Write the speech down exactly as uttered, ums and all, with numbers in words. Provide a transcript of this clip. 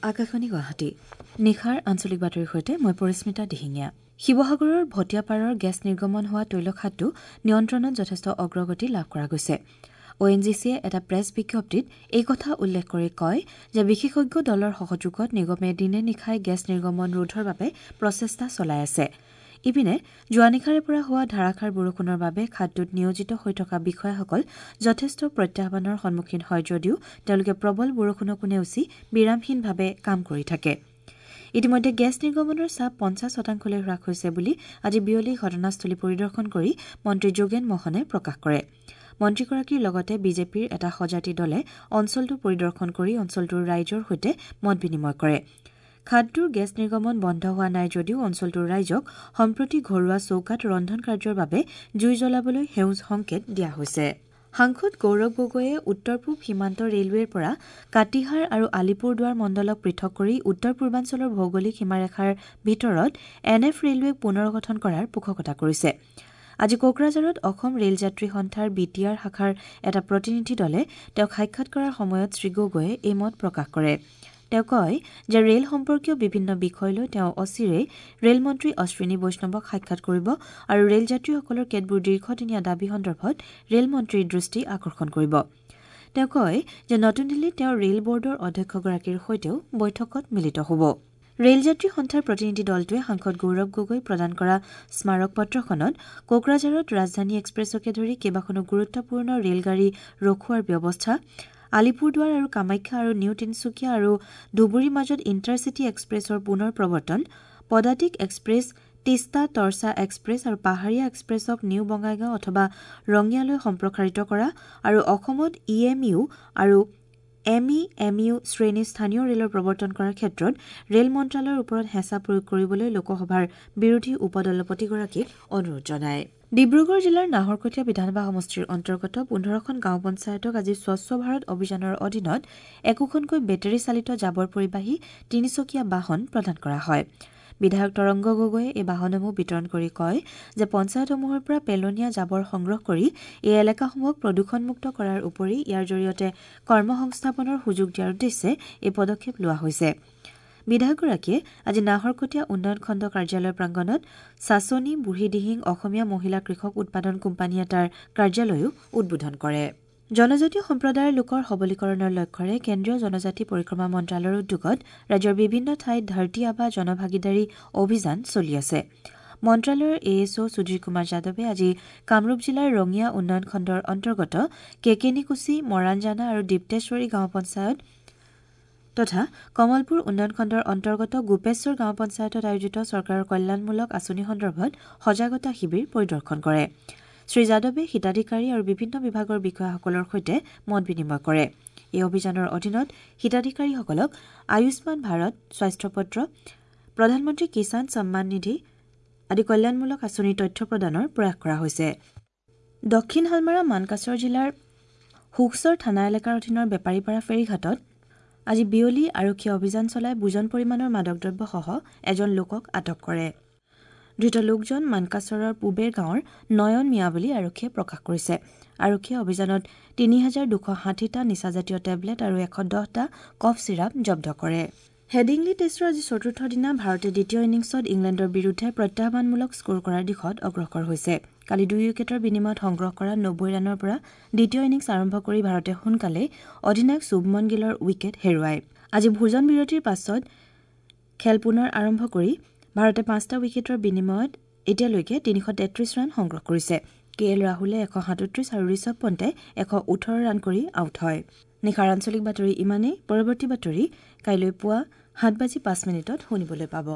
আকাশবাণী গুৱাহাটী নিশাৰ আঞ্চলিক বাতৰিৰ সৈতে মই পৰিস্মিতা দিহিঙীয়া। শিৱসাগৰৰ ভটিয়াপাৰৰ গেছ নিৰ্গমন হোৱা তৈলখাদটো নিয়ন্ত্ৰণত যথেষ্ট অগ্ৰগতি লাভ কৰা গৈছে। অ এন জি চিয়ে এটা প্ৰেছ বিজ্ঞপ্তিত এই কথা উল্লেখ কৰি কয় যে বিশেষজ্ঞ দলৰ সহযোগত নিগমে দিনে নিশাই গেছ নিৰ্গমন ৰোধৰ বাবে প্ৰচেষ্টা চলাই আছে। ইপিনে যোৱা নিশাৰে পৰা হোৱা ধাৰাসাৰ বৰষুণৰ বাবে খাদটোত নিয়োজিত হৈ থকা বিষয়াসকল যথেষ্ট প্ৰত্যাহ্বানৰ সন্মুখীন হয় যদিও তেওঁলোকে প্ৰবল বৰষুণকো নেওচি বিৰামহীনভাৱে কাম কৰি থাকে। ইতিমধ্যে গেছ নিৰ্গমনৰ চাপ পঞ্চাছ শতাংশলৈ হ্ৰাস হৈছে বুলি আজি বিয়লি ঘটনাস্থলী পৰিদৰ্শন কৰি মন্ত্ৰী যোগেন মহনে প্ৰকাশ কৰে। মন্ত্ৰীগৰাকীৰ লগতে বিজেপিৰ এটা সজাতি দলে অঞ্চলটো পৰিদৰ্শন কৰি অঞ্চলটোৰ ৰাইজৰ সৈতে মত বিনিময় কৰে। খাদটোৰ গেছ নিৰ্গমন বন্ধ হোৱা নাই যদিও অঞ্চলটোৰ ৰাইজক সম্প্ৰতি ঘৰুৱা চৌকাত ৰন্ধন কাৰ্যৰ বাবে জুই জ্বলাবলৈ সেউজ সংকেত দিয়া হৈছে। সাংসদ গৌৰৱ গগৈয়ে উত্তৰ পূব সীমান্ত ৰেলৱেৰ পৰা কাটিহাৰ আৰু আলিপুৰদুৱাৰ মণ্ডলক পৃথক কৰি উত্তৰ পূৰ্বাঞ্চলৰ ভৌগোলিক সীমাৰেখাৰ ভিতৰত এন এফ ৰেলৱেক পুনৰ গঠন কৰাৰ পোষকতা কৰিছে। আজি কোকৰাঝাৰত অসম ৰেল যাত্ৰী সন্থাৰ বি টি আৰ শাখাৰ এটা প্ৰতিনিধি দলে তেওঁক সাক্ষাৎ কৰাৰ সময়ত শ্ৰীগগৈয়ে এই মত প্ৰকাশ কৰে। তেওঁ কয় যে ৰেল সম্পৰ্কীয় বিভিন্ন বিষয় লৈ তেওঁ অচিৰেই ৰেলমন্ত্ৰী অশ্বিনী বৈষ্ণৱক সাক্ষাৎ কৰিব আৰু ৰেল যাত্ৰীসকলৰ কেতবোৰ দীৰ্ঘদিনীয়া দাবী সন্দৰ্ভত ৰেলমন্ত্ৰীৰ দৃষ্টি আকৰ্ষণ কৰিব। তেওঁ কয় যে নতুন দিল্লীত তেওঁ ৰেল বৰ্ডৰ অধ্যক্ষগৰাকীৰ সৈতেও বৈঠকত মিলিত হ'ব। ৰেলযাত্ৰী সন্থাৰ প্ৰতিনিধি দলটোৱে সাংসদ গৌৰৱ গগৈ প্ৰদান কৰা স্মাৰক পত্ৰখনত কোকৰাঝাৰত ৰাজধানী এক্সপ্ৰেছকে ধৰি কেইবাখনো গুৰুত্বপূৰ্ণ ৰেলগাড়ী ৰখোৱাৰ ব্যৱস্থা, আলিপুৰদুৱাৰ আৰু কামাখ্যা আৰু নিউ তিনিচুকীয়া আৰু ধুবুৰীৰ মাজত ইণ্টাৰচিটি এক্সপ্ৰেছৰ পুনৰ প্ৰৱৰ্তন, পদাতিক এক্সপ্ৰেছ, তিস্তা তৰ্চা এক্সপ্ৰেছ আৰু পাহাৰীয়া এক্সপ্ৰেছক নিউ বঙাইগাঁও অথবা ৰঙিয়ালৈ সম্প্ৰসাৰিত কৰা আৰু অসমত ই এম ইউ আৰু এম ই এম ইউ শ্ৰেণীৰ স্থানীয় ৰেলৰ প্ৰৱৰ্তন কৰাৰ ক্ষেত্ৰত ৰেল মন্ত্ৰালয়ৰ ওপৰত হেঁচা প্ৰয়োগ কৰিবলৈ লোকসভাৰ বিৰোধী উপদলপতিগৰাকীক অনুৰোধ জনায়। ডিব্ৰুগড় জিলাৰ নাহৰকটীয়া বিধানসভা সমষ্টিৰ অন্তৰ্গত পোন্ধৰখন গাঁও পঞ্চায়তক আজি স্বচ্ছ ভাৰত অভিযানৰ অধীনত একোখনকৈ বেটেৰী চালিত জাবৰ পৰিবাহী তিনিচকীয়া বাহন প্ৰদান কৰা হয়। বিধায়ক তৰংগ গগৈয়ে এই বাহনসমূহ বিতৰণ কৰি কয় যে পঞ্চায়তসমূহৰ পৰা পেলনীয়া জাবৰ সংগ্ৰহ কৰি এই এলেকাসমূহক প্ৰদূষণমুক্ত কৰাৰ উপৰি ইয়াৰ জৰিয়তে কৰ্মসংস্থাপনৰ সুযোগ দিয়াৰ উদ্দেশ্যে এই পদক্ষেপ লোৱা হৈছে। বিধায়কগৰাকীয়ে আজি নাহৰকটীয়া উন্নয়ন খণ্ড কাৰ্যালয় প্ৰাংগণত চাচনী বুঢ়ীদিহিং অসমীয়া মহিলা কৃষক উৎপাদন কোম্পানী এটাৰ কাৰ্যালয়ো উদ্বোধন কৰে। জনজাতীয় সম্প্ৰদায়ৰ লোকৰ সবলীকৰণৰ লক্ষ্যৰে কেন্দ্ৰীয় জনজাতি পৰিক্ৰমা মন্ত্ৰালয়ৰ উদ্যোগত ৰাজ্যৰ বিভিন্ন ঠাইত ধৰতী আবা জনভাগিদাৰী অভিযান চলি আছে। মন্ত্ৰালয়ৰ এ এছ অ' সুধীৰ কুমাৰ যাদৱে আজি কামৰূপ জিলাৰ ৰঙিয়া উন্নয়ন খণ্ডৰ অন্তৰ্গত কেকেনিকুচি, মৰাণজানা আৰু দীপ্তেশ্বৰী গাঁও পঞ্চায়ত তথা কমলপুৰ উন্নয়ন খণ্ডৰ অন্তৰ্গত গোপেশ্বৰ গাঁও পঞ্চায়তত আয়োজিত চৰকাৰৰ কল্যাণমূলক আঁচনি সন্দৰ্ভত সজাগতা শিবিৰ পৰিদৰ্শন কৰে। শ্ৰী যাদৱে হিতাধিকাৰী আৰু বিভিন্ন বিভাগৰ বিষয়াসকলৰ সৈতে মত বিনিময় কৰে। এই অভিযানৰ অধীনত হিতাধিকাৰীসকলক আয়ুষ্মান ভাৰত, স্বাস্থ্য পত্ৰ, প্ৰধানমন্ত্ৰী কিষাণ সন্মান নিধি আদি কল্যাণমূলক আঁচনিৰ তথ্য প্ৰদানৰ প্ৰয়াস কৰা হৈছে। দক্ষিণ হালমাৰা মানকাচৰ জিলাৰ সুখচৰ থানা এলেকাৰ অধীনৰ বেপাৰীপাৰা ফেৰীঘাটত আজি বিয়লি আৰক্ষীয়ে অভিযান চলাই বুজন পৰিমাণৰ মাদক দ্ৰব্যসহ এজন লোকক আটক কৰে। ধৃত লোকজন মানকাচৰৰ পূবেৰ গাঁৱৰ নয়ন মিয়া বুলি আৰক্ষীয়ে প্ৰকাশ কৰিছে। আৰক্ষীয়ে অভিযানত তিনি হাজাৰ দুশ ষাঠিটা নিচাজাতীয় টেবলেট আৰু এশ দহটা কফ চিৰাপ জব্দ কৰে। হেডিংলি টেষ্টৰ আজি চতুৰ্থ দিনা ভাৰতে দ্বিতীয় ইনিংছত ইংলেণ্ডৰ বিৰুদ্ধে প্ৰত্যাহ্বানমূলক স্ক'ৰ কৰাৰ দিশত অগ্ৰসৰ হৈছে। কালি দুই উইকেটৰ বিনিময়ত সংগ্ৰহ কৰা নব্বৈ ৰানৰ পৰা দ্বিতীয় ইনিংছ আৰম্ভ কৰি ভাৰতে সোনকালেই অধিনায়ক শুভমন গিলৰ উইকেট হেৰুৱায়। আজি ভোজন বিৰতিৰ পাছত খেল পুনৰ আৰম্ভ কৰি ভাৰতে পাঁচটা উইকেটৰ বিনিময়ত এতিয়ালৈকে তিনিশ তেত্ৰিশ ৰান সংগ্ৰহ কৰিছে। কে এল ৰাহুলে এশ সাতত্ৰিশ আৰু ঋষভ পণ্টে এশ ওঠৰ ৰান কৰি আউট হয়। নিশাৰ আঞ্চলিক বাতৰি ইমানেই। পৰৱৰ্তী বাতৰি কাইলৈ পুৱা সাত বাজি পাঁচ মিনিটত শুনিবলৈ পাব।